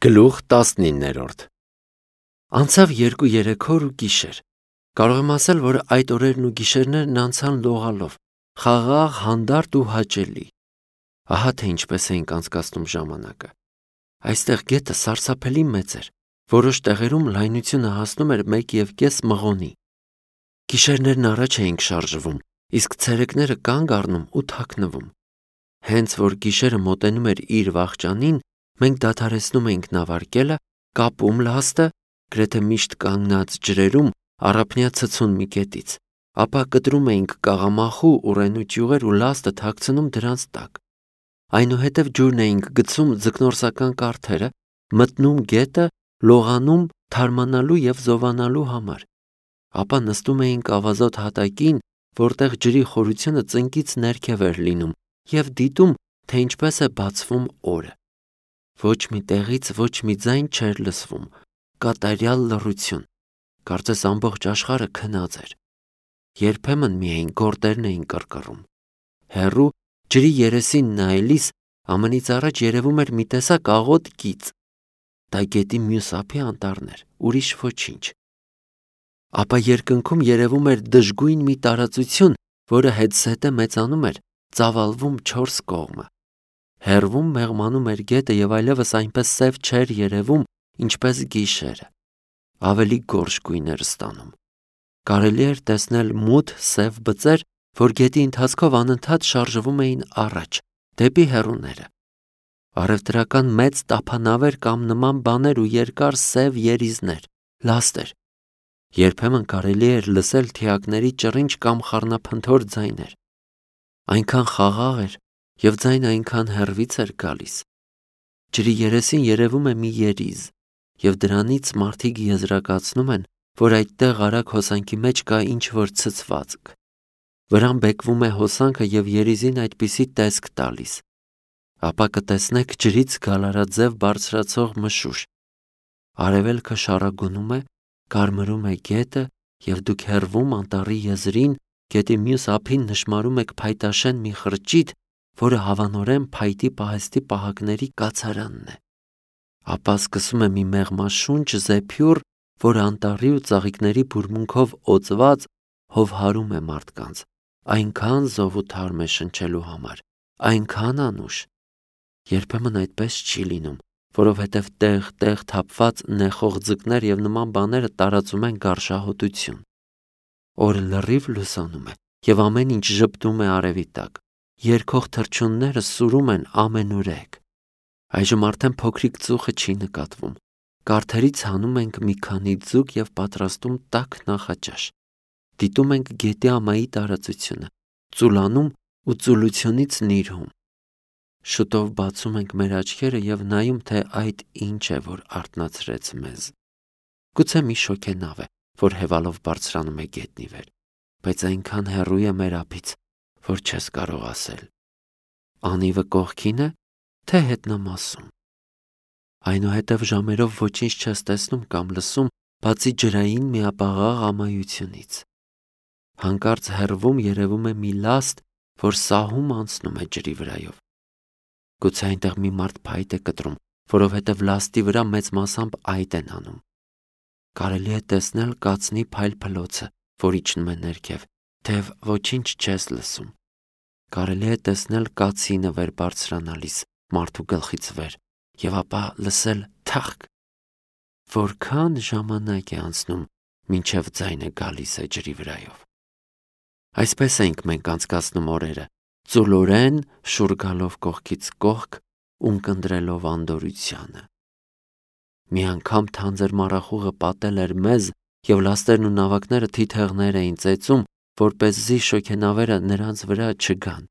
Գլուխ 19-րդ Անցավ 2-3 օր ու գիշեր։ Կարող եմ ասել, որ այդ օրերն ու գիշերներն անցան լողալով, խաղաղ, հանդարտ ու հաճելի։ Ահա թե ինչպես էինք անցկացնում ժամանակը։ Այստեղ գետը սարսափելի մեծ էր, որոշ տեղերում լայնությունը հասնում էր 1.5 մղոնի։ Գիշերներն առաջ էինք շարժվում, իսկ ցերեկները կանգ առնում ու թաքնվում։ Հենց որ գիշերը մոտենում էր իր վախճանին, մենք դադարեցնում էինք նավարկելը, կապում լաստը, գրեթե միշտ կանգնած ջրերում առափնյա ցցուն մի կետից, ապա կտրում էինք կաղամախու ուռենու ճյուղեր ու լաստը թաքցնում դրանց տակ։ Այնուհետև ջուրն էինք գցում ձկնորսական կարթերը, մտնում գետը, լողանում թարմանալու և զովանալու համար։ Ապա նստում էինք ավազոտ հատակին, որտեղ ջրի խորությունը ծնկից ներքև էր լինում, և դիտում, թե ինչպես է բացվում օրը։ Ոչ մի տեղից ոչ մի ձայն չէր լսվում, կատարյալ լռություն, կարծես ամբողջ աշխարհը քնած էր։ Երբեմն միայն գորտերն էին կռկռում։ Հեռու ջրի երեսին նայելիս ամենից առաջ երևում էր մի տեսակ աղոտ գիծ։ Դա գետի մյուս ափի անտառն էր, ուրիշ ոչինչ։ Ապա երկնքում երևում էր դժգույն մի տարածություն, որը հետզհետե մեծանում էր, ծավալվում 4 կողմը։ Հեռվում մեղմանում էր գետը և այլևս այնպես սև չէր երևում, ինչպես գիշերը։ Ավելի գորշ գույն էր ստանում։ Կարելի էր տեսնել մութ սև բծեր, որ գետի ընթացքով անընդհատ շարժվում էին առաջ, դեպի հեռուները։ Առևտրական մեծ տափանավեր կամ նման բաներ ու երկար սև երիզներ, լաստեր։ Երբեմն կարելի էր լսել թիակների ճռինչ կամ խառնափնթոր ձայներ։ Այնքան խաղաղ էր, և ձայնը այնքան հեռվից էր գալիս։ Ջրի երեսին երևում է մի երիզ, և դրանից մարդիկ եզրակացնում են, որ այդտեղ արագ հոսանքի մեջ կա ինչ-որ ցցվածք։ Վրան բեկվում է հոսանքը և երիզին այդպիսի տեսք տալիս։ Ապա կտեսնեք ջրից գալարաձև բարձրացող մշուշ։ Արևելքը շառագունում է, կարմրում է գետը, և դուք հեռվում անտառի եզրին, գետի մյուս ափին նշմարում եք փայտաշեն մի խրճիթ, որը հավանորեն փայտի պահեստի պահակների կացարանն է։ Ապա սկսում է մի մեղմաշունչ զեփյուռ, որը անտառի ու ծաղիկների բուրմունքով օծված հովհարում է մարդկանց, այնքան զով ու թարմ է շնչելու համար, այնքան անուշ։ Երբեմն այդպես չի լինում, որովհետև տեղ-տեղ թափված նեխող ձկներ և նման բաները տարածում են գարշահոտություն։ Օրը լրիվ լուսանում է, և ամեն ինչ ժպտում է արևի տակ։ Երգող թռչունները սուրում են ամենուրեք։ Այժմ արդեն փոքրիկ ծուխը չի նկատվում։ Կարթերից հանում ենք մի քանի ձուկ և պատրաստում տաք նախաճաշ։ Դիտում ենք գետի ամայի տարածությունը, ծուլանում ու ծուլությունից նիրհում։ Շուտով բացում ենք մեր աչքերը և նայում, թե այդ ինչ է, որ արթնացրեց մեզ։ Գուցե մի շոգենավ է, որ հևալով բարձրանում է գետնի վեր, բայց այնքան հեռու է մեր ափից, որ չես կարող ասել։ Անիվը կողքին է, թե հետնամասում։ Այնուհետև ժամերով ոչինչ չես տեսնում կամ լսում, բացի ջրային միապաղաղ ամայությունից։ Հանկարծ հեռվում երևում է մի լաստ, որ սահում անցնում է ջրի վրայով։ Գուցե այնտեղ մի մարդ փայտ է կտրում, որովհետև լաստի վրա մեծ մասամբ այծ են անում։ Կարելի է տեսնել կացնի փայլփլոցը, որ իջնում է ներքև, թեև ոչինչ չես լսում։ Կարելի է տեսնել կացինը վեր բարձրանալիս մարդու գլխից վեր, և ապա լսել թախկ։ Որքան ժամանակ է անցնում, մինչև ձայնը գալիս է ջրի վրայով։ Այսպես ենք մենք անցկացնում օրերը, ծուլորեն շուռ գալով կողքից կողք, ունկնդրելով անդորրությանը։ Մի անգամ թանձր մառախուղը պատել էր մեզ, և լաստերն ու նավակները թիթեղներ էին ծեծում, որպեսզի շոգենավերը նրանց վրա չգան։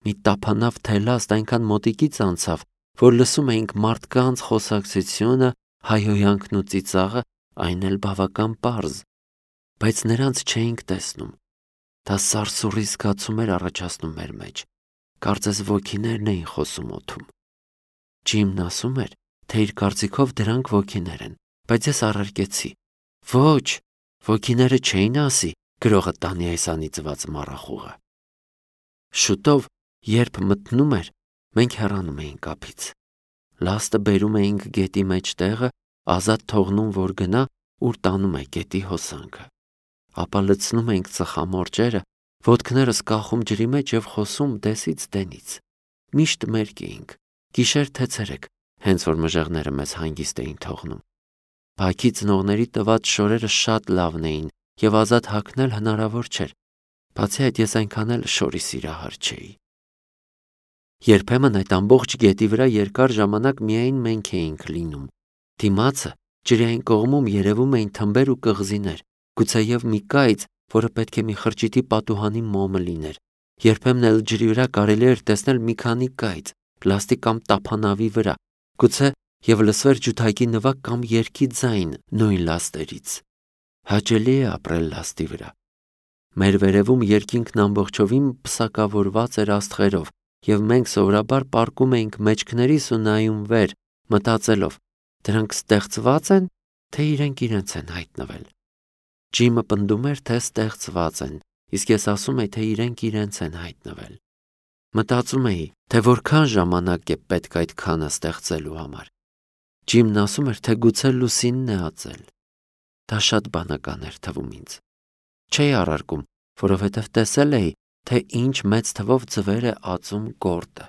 Մի տափանավ թելաստ այնքան մոտիկից անցավ, որ լսում էինք մարդկանց խոսակցությունը, հայհոյանքն ու ծիծաղը, այն էլ բավական պարզ, բայց նրանց չէինք տեսնում։ Դա սարսուռի զգացում էր առաջացնում մեր մեջ, կարծես ոգիներն էին խոսում օդում։ Ջիմն ասում էր, թե իր կարծիքով դրանք ոգիներ են, բայց ես առարկեցի. ոչ, ոգիները չէին ասի գրողը տանի այս անիծված մառախուղը։ Շուտով, երբ մթնում էր, մենք հեռանում էինք ափից։ Լաստը բերում էինք գետի մեջ տեղը, ազատ թողնում, որ գնա, ուր տանում է գետի հոսանքը։ Ապա լցնում էինք ծխամորճերը, ոտքներս կախում ջրի մեջ եւ խոսում դեսից դենից։ Միշտ մերկ էինք, գիշեր թե ցերեկ, հենց որ մժեղները մեզ հանգիստ էին թողնում։ Բակի ծնողների տված շորերը շատ լավն էին եւ ազատ հագնել հնարավոր չէր։ Բացի այդ ես այնքան էլ շորի սիրահար չէի։ Երբեմն այդ ամբողջ գետի վրա երկար ժամանակ միայն մենք էինք լինում։ Դիմացը ջրային կողմում երևում էին թմբեր ու կղզիներ, գուցեև մի կայծ, որը պետք է մի խրճիթի պատուհանի մոմը լիներ։ Երբեմն էլ ջրի վրա կարելի էր տեսնել մի քանի կայծ, լաստի կամ տափանավի վրա, գուցե եւ լսվեր ջութակի նվագ կամ երգի ձայն նույն լաստերից։ Հաճելի է ապրել լաստի վրա։ Մեր վերևում երկինքն ամբողջովին պսակավորված էր աստղերով, եւ մենք սովորաբար պառկում էինք մեջքներիս ու նայում վեր, մտածելով. դրանք ստեղծված են, թե իրենց են հայտնվել։ Ջիմը պնդում էր, թե ստեղծված են, իսկ ես ասում էի, թե իրենց են հայտնվել։ Մտածում էի, թե որքան ժամանակ է պետք այդքանը ստեղծելու համար։ Ջիմն ասում էր, թե գուցե լուսինն է ածել։ Դա շատ բանական էր թվում ինձ։ Չէի առարկում, որովհետև տեսել էի, թե ինչ մեծ թվով ձվեր է ածում գորտը,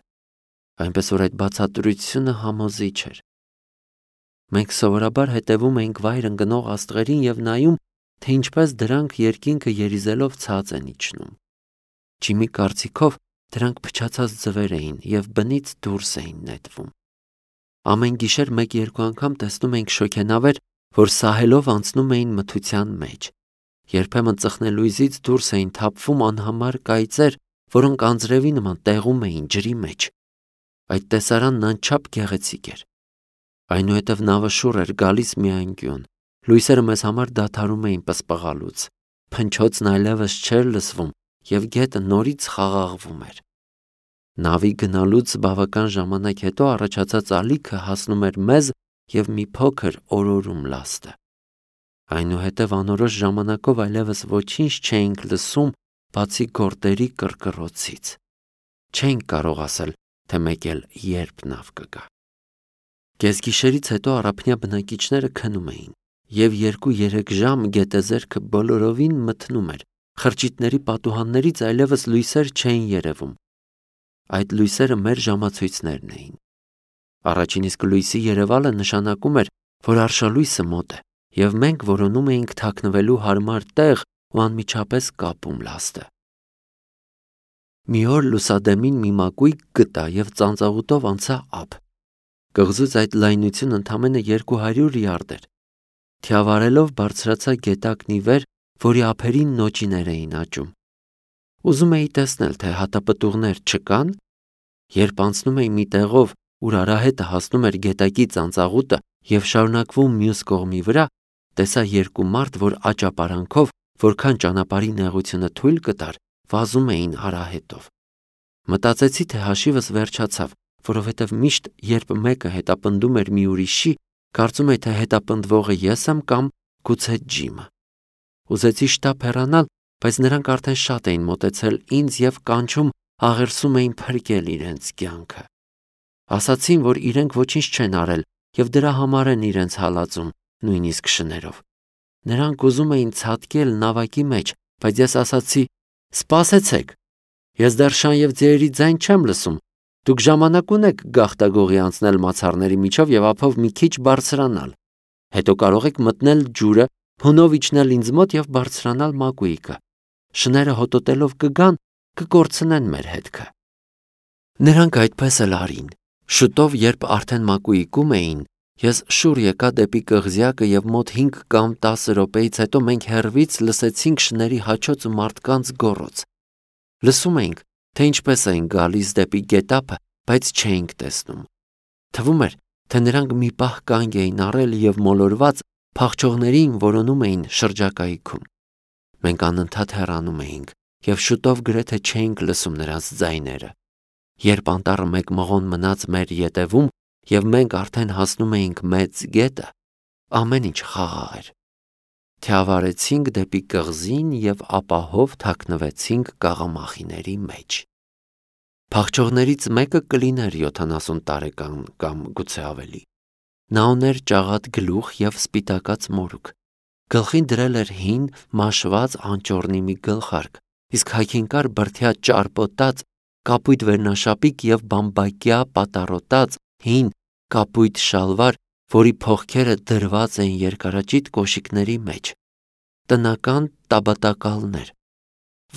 այնպես որ այդ բացատրությունը համոզիչ էր։ Մենք սովորաբար հետևում էինք վայր ընկնող աստղերին եւ նայում, թե ինչպես դրանք երկինքը երիզելով ցած են իջնում։ Ջիմի կարծիքով դրանք փչացած ձվեր էին եւ բնից դուրս էին նետվում։ Ամեն գիշեր 1-2 անգամ տեսնում էինք շոգենավեր, որ սահելով անցնում էին մթության մեջ։ Երբեմն ծխնելույզից դուրս էին թափվում անհամար կայծեր, որոնք անձրևի նման տեղում էին ջրի մեջ։ Այդ տեսարանն անչափ գեղեցիկ էր։ Այնուհետև նավը շուռ էր գալիս մի անկյուն։ Լույսերը մեզ համար դադարում էին պսպղալուց։ Փնչոցն այլևս չէր լսվում եւ գետը նորից խաղաղվում էր։ Նավի գնալուց բավական ժամանակ հետո առաջացած ալիքը հասնում էր մեզ եւ մի փոքր օրորում լաստը։ Այնուհետև անորոշ ժամանակով այլևս ոչինչ չէինք լսում, բացի գորտերի կռկռոցից։ Չէինք կարող ասել, թե մեկ էլ երբ նավ կգա։ Կեսգիշերից հետո առափնյա բնակիչները քնում էին, եւ 2-3 ժամ գետեզերքը բոլորովին մթնում էր, խրճիթների պատուհաններից այլևս լույսեր չէին երևում։ Այդ լույսերը մեր ժամացույցներն էին։ Առաջին իսկ լույսի երևալը նշանակում էր, որ արշալույսը մոտ է, եւ մենք որոնում էինք թաքնվելու հարմար տեղ ու անմիջապես կապում լաստը։ Մի օր լուսադեմին մի մակույկ գտա եւ ծանծաղուտով անցա ափ։ Կղզուց այդ լայնությունն ընդամենը 200 յարդ էր։ Թիավարելով բարձրացա գետակնի վեր, որի ափերին նոճիներ էին աճում։ Ուզում էի տեսնել, թե հատապտուղներ չկան, երբ անցնում էի մի տեղով, ուր արահետը հասնում էր գետակի ծանծաղուտը եւ շարունակվում մյուս կողմի վրա, տեսա 2 մարդ, որ աճապարանքով, որքան ճանապարհի նեղությունը թույլ կտար, վազում էին արահետով։ Մտածեցի, թե հաշիվս վերջացավ, որովհետև միշտ, երբ մեկը հետապնդում էր մի ուրիշի, կարծում էի, թե հետապնդվողը ես եմ կամ գուցե Ջիմը։ Ուզեցի շտապ հեռանալ, բայց նրանք արդեն շատ էին մոտեցել ինձ եւ կանչում աղերսում էին փրկել իրենց կյանքը։ Ասացին, որ իրենք ոչինչ չեն արել եւ դրա համար են իրենց հալածում, նույնիսկ շներով։ Նրանք ուզում էին ցատկել նավակի մեջ, բայց ես ասացի. «Սպասեցեք, ես դեռ շան եւ ձիերի ձայն չեմ լսում։ Դուք ժամանակ ունեք գաղտագողի անցնել մացառների միջով եւ ափով մի քիչ բարձրանալ։ Հետո կարող եք մտնել ջուրը, հունով իջնել ինձ մոտ եւ բարձրանալ մակույկը։ Շները հոտոտելով կգան, կկորցնեն մեր հետքը»։ Նրանք այդպես էլ արին։ Շուտով, երբ արդեն մակույկում էին, ես շուռ եկա դեպի կղզյակը եւ մոտ 5 կամ 10 րոպեից հետո մենք հեռվից լսեցինք շների հաչոց ու մարդկանց գոռոց։ Լսում էինք, թե ինչպես էին գալիս դեպի գետափը, բայց չէինք տեսնում։ Թվում էր, թե նրանք մի պահ կանգ էին առել եւ մոլորված փախչողներին որոնում էին շրջակայքում։ Մենք անընդհատ հեռանում էինք եւ շուտով գրեթե չէինք լսում նրանց ձայները։ Երբ անտառը մեկ մղոն մնաց մեր ետևում եւ մենք արդեն հասնում էինք մեծ գետը, ամեն ինչ խաղաղ էր։ Թիավարեցինք դեպի կղզին եւ ապահով թաքնվեցինք կաղամախիների մեջ։ Փախչողներից մեկը կլիներ 70 տարեկան կամ գուցե ավելի։ Նա ուներ ճաղատ գլուխ և սպիտակած մորուք։ Գլխին դրել էր հին, մաշված անճոռնի մի գլխարկ, իսկ հագին կար բրդյա ճարպոտած, կապույտ վերնաշապիկ և բամբակյա պատառոտած հին կապույտ շալվար, որի փողքերը դրված էին երկարաճիտ կոշիկների մեջ։ Տնական տաբատակալներ։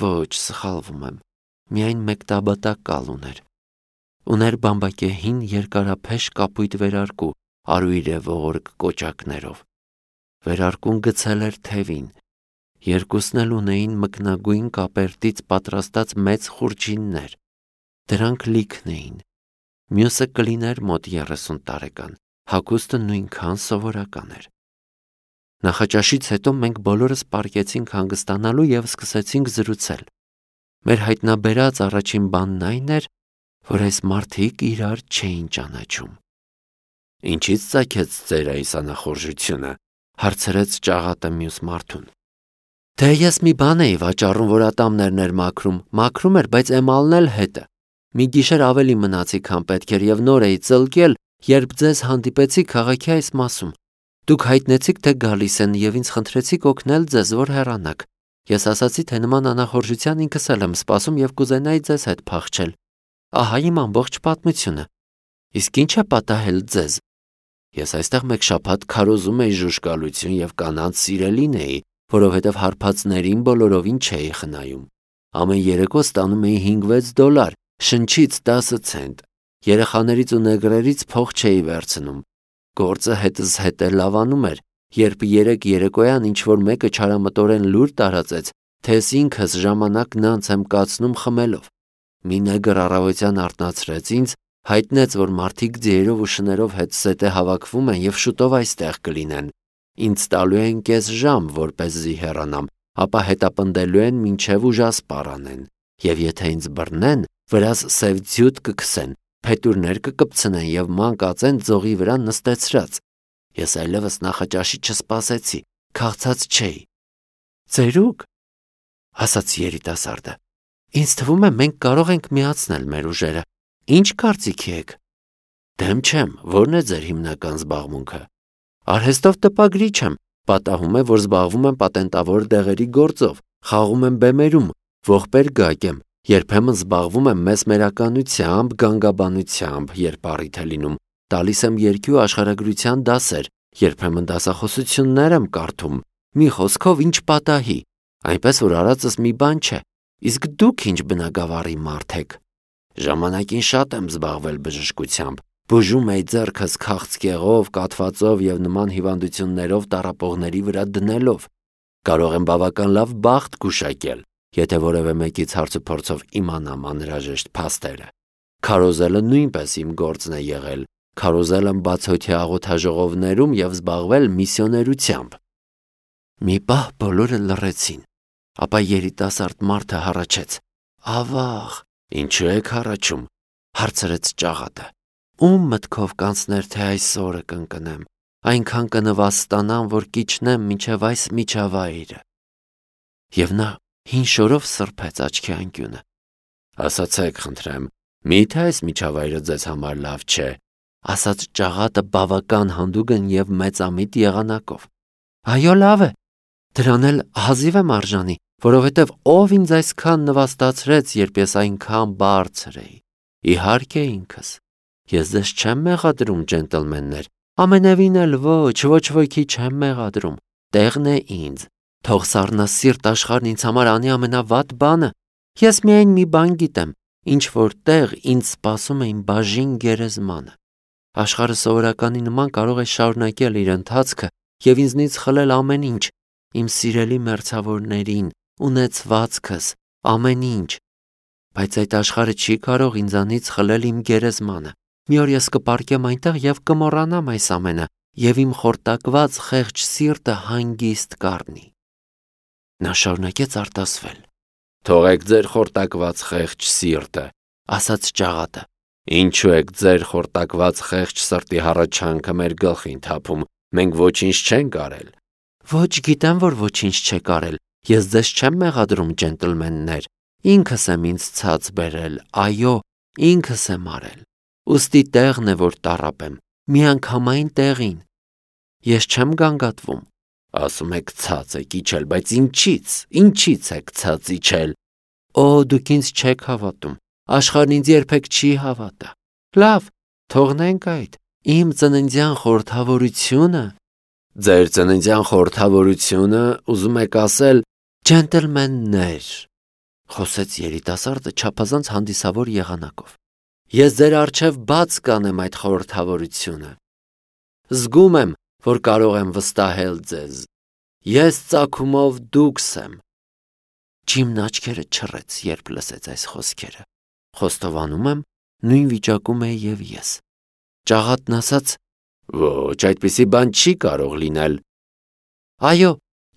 Ոչ, սխալվում եմ, միայն մեկ տաբատակալ ուներ։ Ուներ բամբակե հին երկարափեշ կապույտ վերարկու, արույր ողորկ կոճակներով։ Վերարկուն գցել էր թևին։ Երկուսն էլ ունեին մկնագույն կապերտից պատրաստած մեծ խուրջիններ։ Դրանք լիքն էին։ Մյուսը կլիներ մոտ 30 տարեկան, հագուստը նույնքան սովորական էր։ Նախաճաշից հետո մենք բոլորս պառկեցինք հանգստանալու և սկսեցինք զրուցել։ Մեր հայտնաբերած առաջին բանն այն էր, որ այս մարդիկ իրար չէին ճանաչում։ Ինչից ծագեց ձեր այս անախորժությունը, հարցրեց ճաղատը մյուս մարդուն։ Դե ես մի բան էի վաճառում, որ ատամներն էր մաքրում էր, բայց էմալն էլ հետը։ Մի գիշեր ավելի մնացի, քան պետք էր, և նոր էի ծլկել, երբ ձեզ հանդիպեցի քաղաքի այս մասում։ Դուք հայտնեցիք, թե գալիս են, և ինձ խնդրեցիք օգնել ձեզ, որ հեռանաք։ Ես ասացի, թե նման անախորժության ինքս էլ եմ սպասում և կուզենայի ձեզ հետ փախչել։ Ահա իմ ամբողջ պատմությունը։ Իսկ ինչ է պատահել ձեզ։ Ես այստեղ մեկ շաբաթ քարոզում էի ժուժկալություն և կանանց սիրելին էի, որովհետև հարբածներին բոլորովին չէի խնայում։ Ամեն երեկո ստանում էի $5-6, շնչից 10 ցենտ։ Երեխաներից ու նեգրերից փող չէի վերցնում։ Գործը հետս հետ է լավանում էր, երբ երեկ երեկոյան ինչ-որ մեկը չարամտորեն լուր տարածեց, թե ես ինքս ժամանակն անց եմ կացնում խմելով։ Մի նեգր առավոտյան արթնացրեց ինձ, հայտնեց, որ մարդիկ ձիերով ու շներով հետզհետե հավաքվում են և շուտով այստեղ կլինեն։ Ինձ տալու են կես ժամ, որպեսզի հեռանամ, ապա հետապնդելու են մինչև ուժասպառ անեն։ Եվ եթե ինձ բռնեն, վրաս սև ձյուտ կքսեն, փետուրներ կկպցնեն և ման կածեն ձողի վրա նստեցրած։ Ես այլևս նախաճաշի չսպասեցի, քաղցած չէի։ Ծերուկ, ասաց երիտասարդը, ինձ թվում է մենք կարող ենք միացնել մեր ուժերը։ Ինչ կարծիքի եք։ Դեմ չեմ, ո՞րն է ձեր հիմնական զբաղմունքը։ Արհեստով տպագրիչ եմ, պատահում է, որ զբաղվում եմ պատենտավոր դեղերի գործով, խաղում եմ բեմերում, ողբեր-գակ եմ, երբեմն զբաղվում եմ մեսմերականությամբ, գանգաբանությամբ, երբ առիթ է լինում, տալիս եմ երգի ու աշխարհագրության դասեր, երբեմն դասախոսություններ եմ կարդում, մի խոսքով ինչ պատահի, այնպես որ արածս մի բան չէ։ Իսկ դուք ինչ բնագավառի մարդ եք։ Ժամանակին շատ եմ զբաղվել բժշկությամբ, բուժում էի ձեռքս քաղցկեղով, կաթվածով և նման հիվանդություններով տառապողների վրա դնելով։ Կարող եմ բավական լավ բախտ գուշակել, եթե որևէ մեկից հարցուփորձով իմանամ անհրաժեշտ փաստերը։ Քարոզելը նույնպես իմ գործն է եղել, քարոզել եմ բացօթյա աղոթաժողովներում և զբաղվել միսիոներությամբ։ Մի պահ բոլորը լռեցին, ապա երիտասարդ մարդը հառաչեց. Ավաղ, ինչու եք հառաչում, հարցրեց ճաղատը։ Ում մտքով կանցներ, թե այս օրը կընկնեմ, այնքան կնվաստանամ, որ կիջնեմ մինչև այս միջավայրը։ Եվ նա հին շորով սրբեց աչքի անկյունը։ Ասացեք, խնդրեմ, միթե այս միջավայրը ձեզ համար լավ չէ, ասաց ճաղատը բավական հանդուգն և մեծամիտ եղանակով։ Այո, լավ է, դրան էլ հազիվ եմ արժանի, որովհետև ով ինձ այսքան նվաստացրեց, երբ ես այնքան բարձր էի։ Իհարկե ինքս։ Ես ձեզ չեմ մեղադրում, ջենտլմեններ, ամենևին էլ ոչ ոքի չեմ մեղադրում, տեղն է ինձ։ Թող սառնասիրտ աշխարհն ինձ համար անի ամենավատ բանը։ Ես միայն մի բան գիտեմ, ինչ որ տեղ ինձ սպասում է իմ բաժին գերեզմանը։ Աշխարհը սովորականի նման կարող է շարունակել իր ընթացքը և ինձնից խլել ամեն ինչ, իմ սիրելի մերձավորներին, ունեցվածքս, ամեն ինչ։ Բայց այդ աշխարհը չի կարող ինձանից խլել իմ գերեզմանը։ Մի օր ես կպառկեմ այնտեղ և կմոռանամ այս ամենը, և իմ խորտակված խեղճ սիրտը հանգիստ կառնի։ Նա շարունակեց արտասվել։ Թողեք ձեր խորտակված խեղճ սիրտը, ասաց ճաղատը։ Ինչու եք ձեր խորտակված խեղճ սրտի հառաչանքը մեր գլխին թափում, մենք ոչինչ չենք արել։ Ոչ, գիտեմ, որ ոչինչ չեք արել։ Ես ձեզ չեմ մեղադրում, ջենտլմեններ։ Ինքս եմ ինձ ցած բերել, այո, ինքս եմ արել, ուստի տեղն է, որ տառապեմ, միանգամայն տեղին, ես չեմ գանգատվում, ասում եք ցած եք իջել, բայց ինչից եք ցած իջել, օ, դուք ինձ չեք հավատում, աշխարհն ինձ երբեք չի հավատա, լավ, թողնենք այդ, իմ ծննդյան խորհրդավորությունը, ձեր ծննդյան խորհրդավորությունը, ուզում եք ասել, ջենտլմեններ, խոսեց երիտասարդը չափազանց հանդիսավոր եղանակով, ես ձեր առջև բաց կանեմ այդ խորհրդավորությունը, զգում եմ, որ կարող եմ վստահել ձեզ, ես ծագումով դուքս եմ, Ջիմն աչքերը չռեց, երբ լսեց այս խոսքերը, խոստովանում եմ, նույն վիճակում էի և ես, ճաղատն ասաց, ոչ, այդպիսի բան չի կարող լինել, այո,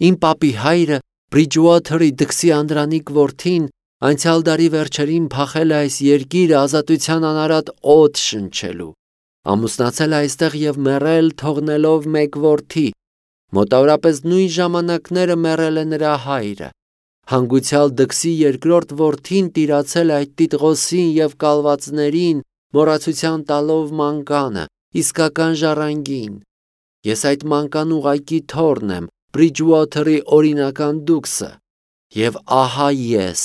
իմ պապի հայրը, Բրիջուոթերի դքսի անդրանիկ որդին, անցյալ դարի վերջերին փախել է այս երկիրը ազատության անարատ օդ շնչելու, ամուսնացել է այստեղ և մեռել թողնելով մեկ որդի, մոտավորապես նույն ժամանակները մեռել է նրա հայրը, հանգուցյալ դքսի երկրորդ որդին տիրացել է այդ տիտղոսին և կալվածներին, մոռացության տալով մանկանը, իսկական ժառանգին, ես այդ մանկան ուղղակի թոռն եմ, Բրիջուոթերի օրինական դուքսը, և ահա ես,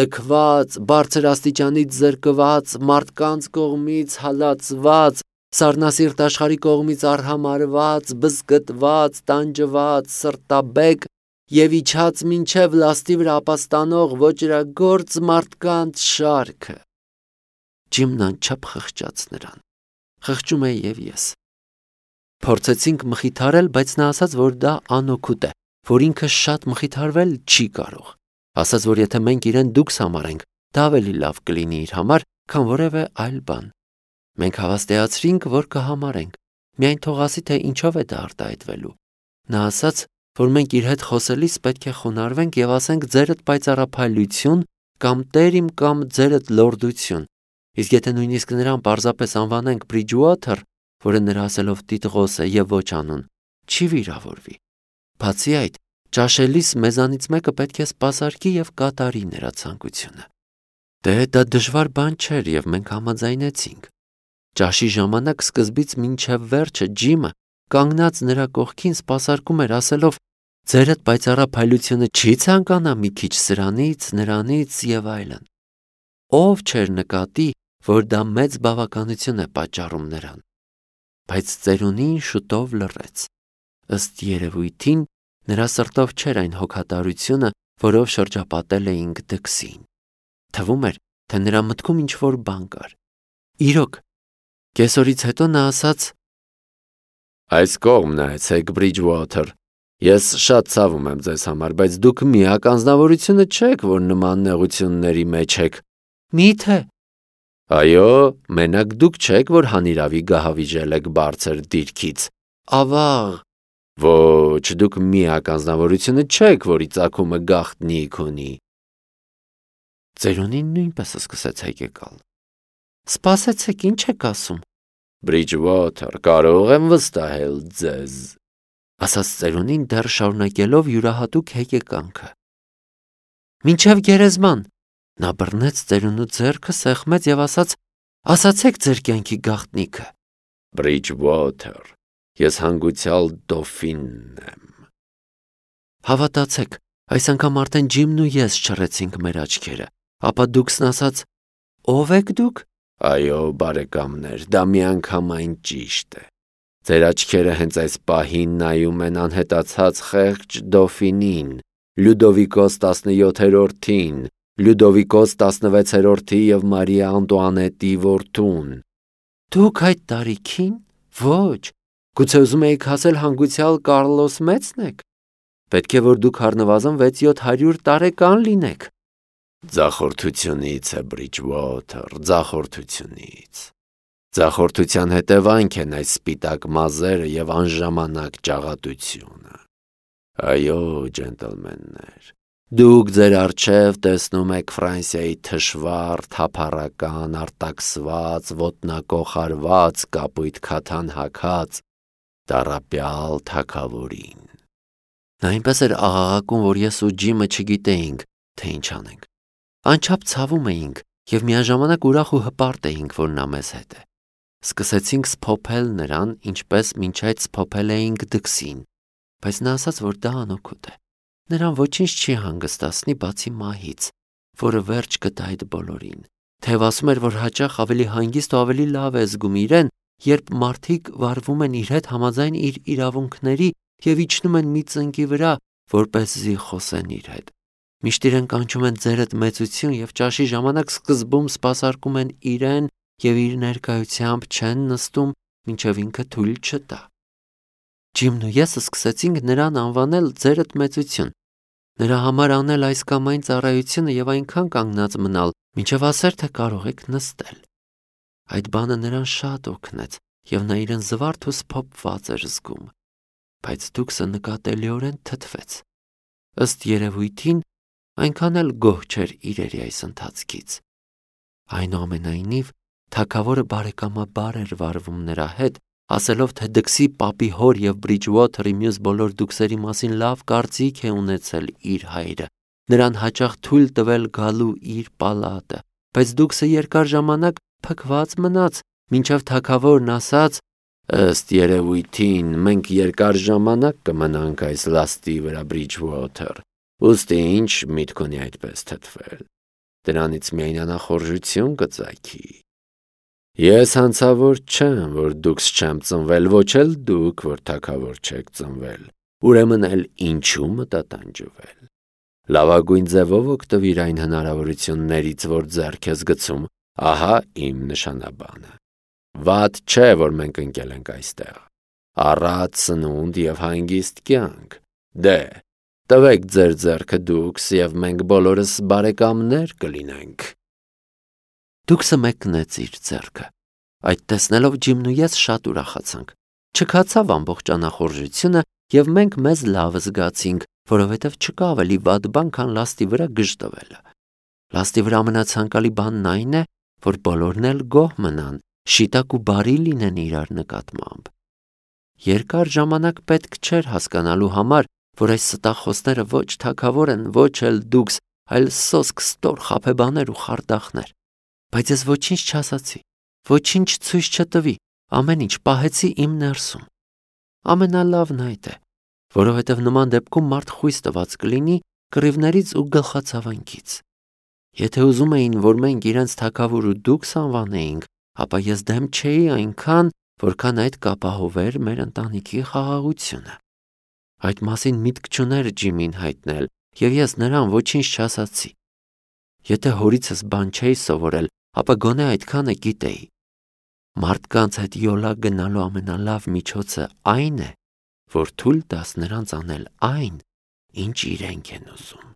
լքված, բարձր աստիճանից զրկված, մարդկանց կողմից հալածված, սառնասիրտ աշխարհի կողմից արհամարհված, բզկտված, տանջված, սրտաբեկ և իջած մինչև լաստի վրա ապաստանող ոճրագործ մարդկանց շարքը, Ջիմն անչափ խղճաց նրան, խղճում էի և ես, փորձեցինք մխիթարել, բայց նա ասաց, որ դա անօգուտ է, որ ինքը շատ մխիթարվել չի կարող, ասաց, որ եթե մենք իրեն դուքս համարենք, դա ավելի լավ կլինի իր համար, քան որևէ այլ բան, մենք հավաստիացրինք, որ կհամարենք, միայն թող ասի, թե ինչով է դա արտահայտվելու, նա ասաց, որ մենք իր հետ խոսելիս պետք է խոնարհվենք և ասենք ձերդ պայծառափայլություն կամ տեր իմ կամ ձերդ լորդություն, իսկ եթե նույնիսկ նրան պարզապես անվանենք Բրիջուոթեր, որը նրա ասելով տիտղոս է և ոչ անուն, չի վիրավորվի, բացի այդ, ճաշելիս մեզանից մեկը պետք է սպասարկի և կատարի նրա ցանկությունը, դա դժվար բան չէր և մենք համաձայնեցինք, ճաշի ժամանակ սկզբից մինչև վերջը Ջիմը կանգնած նրա կողքին սպասարկում էր ասելով, ձերդ պայծառափայլությունը չի ցանկանա մի քիչ սրանից, նրանից և այլն, ով չէր նկատի, որ դա մեծ բավականություն է պատճառում նրան, բայց ծերունին շուտով լռեց, ըստ երևույթին նրա սրտով չէր այն հոգատարությունը, որով շրջապատել էինք դքսին, թվում էր, թե նրա մտքում ինչ-որ բան կար, իրոք, կեսօրից հետո նա ասաց, այս կողմ նայեցեք Բրիջուոթեր, ես շատ ցավում եմ ձեզ համար, բայց դուք միակ անձնավորությունը չեք, որ նման նեղությունների մեջ եք, միթե, այո, մենակ դուք չեք, որ հանիրավի գահավիժել եք բարձր դիրքից, ավաղ, ոչ, դուք միակ անձնավորությունը չեք, որի ծագումը գաղտնիք ունի, ծերունին նույնպես սկսեց հեկեկալ, սպասեցեք, ինչ եք ասում, Բրիջուոթեր, կարող եմ վստահել ձեզ, ասաց ծերունին դեռ շարունակելով յուրահատուկ հեկեկանքը, մինչև գերեզման, նա բռնեց ծերունու ձեռքը, սեղմեց և ասաց, ասացեք ձեր կյանքի գաղտնիքը, Բրիջուոթեր, ես հանգուցյալ դոֆինն եմ, հավատացեք, այս անգամ արդեն Ջիմն ու ես չռեցինք մեր աչքերը, ապա դուքսն ասաց, ով եք դուք, այո, բարեկամներ, դա միանգամայն ճիշտ է, ձեր աչքերը հենց այս պահին նայում են անհետացած խեղճ դոֆինին, Լյուդովիկոս 17-րդին, Լյուդովիկոս 16-րդի և Մարիա Անտուանետի որդուն, դուք այդ տարիքին, ոչ, գուցե ուզում էիք ասել հանգուցյալ Կարլոս մեծն եք, պետք է որ դուք առնվազն 600-700 տարեկան լինեք, ձախորդությունից է Բրիջուոթեր, ձախորդությունից, ձախորդության հետևանք են այս սպիտակ մազերը և անժամանակ ճաղատությունը, այո, ջենտլմեններ, դուք ձեր առջև տեսնում եք Ֆրանսիայի թշվառ, թափառական, արտաքսված, ոտնակոխարված, կապույտ քաթան հագած, տառապյալ թագավորին, նա այնպես էր աղաղակում, որ ես ու Ջիմը չգիտեինք, թե ինչ անենք, անչափ ցավում էինք, Եվ միաժամանակ ուրախ ու հպարտ էինք, որ նա մեզ հետ է։ Սկսեցինք սփոփել նրան, ինչպես մինչ այդ սփոփել էինք դքսին, բայց նա ասաց, որ դա անօգուտ է։ Նրան ոչինչ չի հանգստացնի բացի մահից, որը վերջ կտա այդ բոլորին։ Թեև ասում էր, որ հաճախ ավելի հանգիստ ու ավելի լավ է զգում իրեն, երբ մարդիկ վարվում են իր հետ համաձայն իր իրավունքների և իջնում են մի ծնկի վրա, որպեսզի խոսեն իր հետ։ Միշտ իրեն կանչում են ձերդ մեծություն և ճաշի ժամանակ սկզբում սպասարկում են իրեն և իր ներկայությամբ չեն նստում, մինչև ինքը թույլ չտա։ Ջիմն ու ես սկսեցինք նրան անվանել ձերդ մեծություն, նրա համար անել այս կամ այն ծառայությունը և այնքան կանգնած մնալ, մինչև ասեր, թե կարող եք նստել։ Այդ բանը նրան շատ օգնեց, և նա իրեն զվարթ ու սփոփված էր զգում, բայց դուքսը նկատելիորեն թթվեց։ Ըստ երևույթին, այնքան էլ գոհ չէր իրերի այս ընթացքից։ Այնուամենայնիվ, թագավորը բարեկամաբար էր վարվում նրա հետ, ասելով, թե դքսի պապի հոր և Բրիջուոթերի մյուս բոլոր դուքսերի մասին լավ կարծիք է ունեցել իր հայրը, նրան հաճախ թույլ տվել գալու իր պալատը, բայց դուքսը երկար ժամանակ փքված մնաց, մինչև թագավորն ասաց. «Ըստ երևույթին, մենք երկար ժամանակ կմնանք այս լաստի վրա, Բրիջուոթեր, ուստի ինչ միտք ունի այդպես թթվել, դրանից միայն անախորժություն կծագի։ Ես հանցավոր չեմ, որ դուքս չեմ ծնվել, ոչ էլ դուք, որ թագավոր չեք ծնվել, ուրեմն էլ ինչու մտատանջվել։ Լավագույն ձևով օգտվիր այն հնարավորություններից, որ ձեռք ես գցում, ահա իմ նշանաբանը։ Վատ չէ, որ մենք ընկել ենք այստեղ, առատ սնունդ և հանգիստ կյանք, դե, տվեք ձեր ձեռքը դուքս և մենք բոլորս բարեկամներ կլինենք»։ Դուքսը մեկնեց իր ձեռքը։ Այդ տեսնելով Ջիմն ու ես շատ ուրախացանք։ Չքացավ ամբողջ անախորժությունը և մենք մեզ լավ զգացինք, որովհետև չկա ավելի վատ բան, քան լաստի վրա գժտվելը։ Լաստի վրա ամենացանկալի բանն այն է, որ բոլորն էլ գոհ մնան, շիտակ ու բարի լինեն իրար նկատմամբ։ Երկար ժամանակ պետք չէր հասկանալու համար, որ այս ստախոսները ոչ թագավոր են, ոչ էլ դուքս, այլ սոսկ ստոր խաբեբաներ ու խարդախներ։ Բայց ես ոչինչ չասացի, ոչինչ ցույց չտվի, ամեն ինչ պահեցի իմ ներսում։ Ամենալավն այդ է, որովհետև նման դեպքում մարդ խույս տված կլինի կռիվներից ու գլխացավանքից։ Եթե ուզում էին, որ մենք իրենց թագավոր ու դուքս անվանեինք, ապա ես դեմ չէի այնքան, որքան այդ կապահովեր մեր ընտանիքի խաղաղությունը։ Այդ մասին միտք չուներ Ջիմին հայտնել, և ես նրան ոչինչ չասացի։ Եթե հորիցս բան չէի սովորել, ապա գոնե այդքանը գիտեի։ Մարդկանց հետ յոլա գնալու ամենալավ միջոցը այն է, որ թույլ տաս նրանց անել այն, ինչ իրենք են ուզում։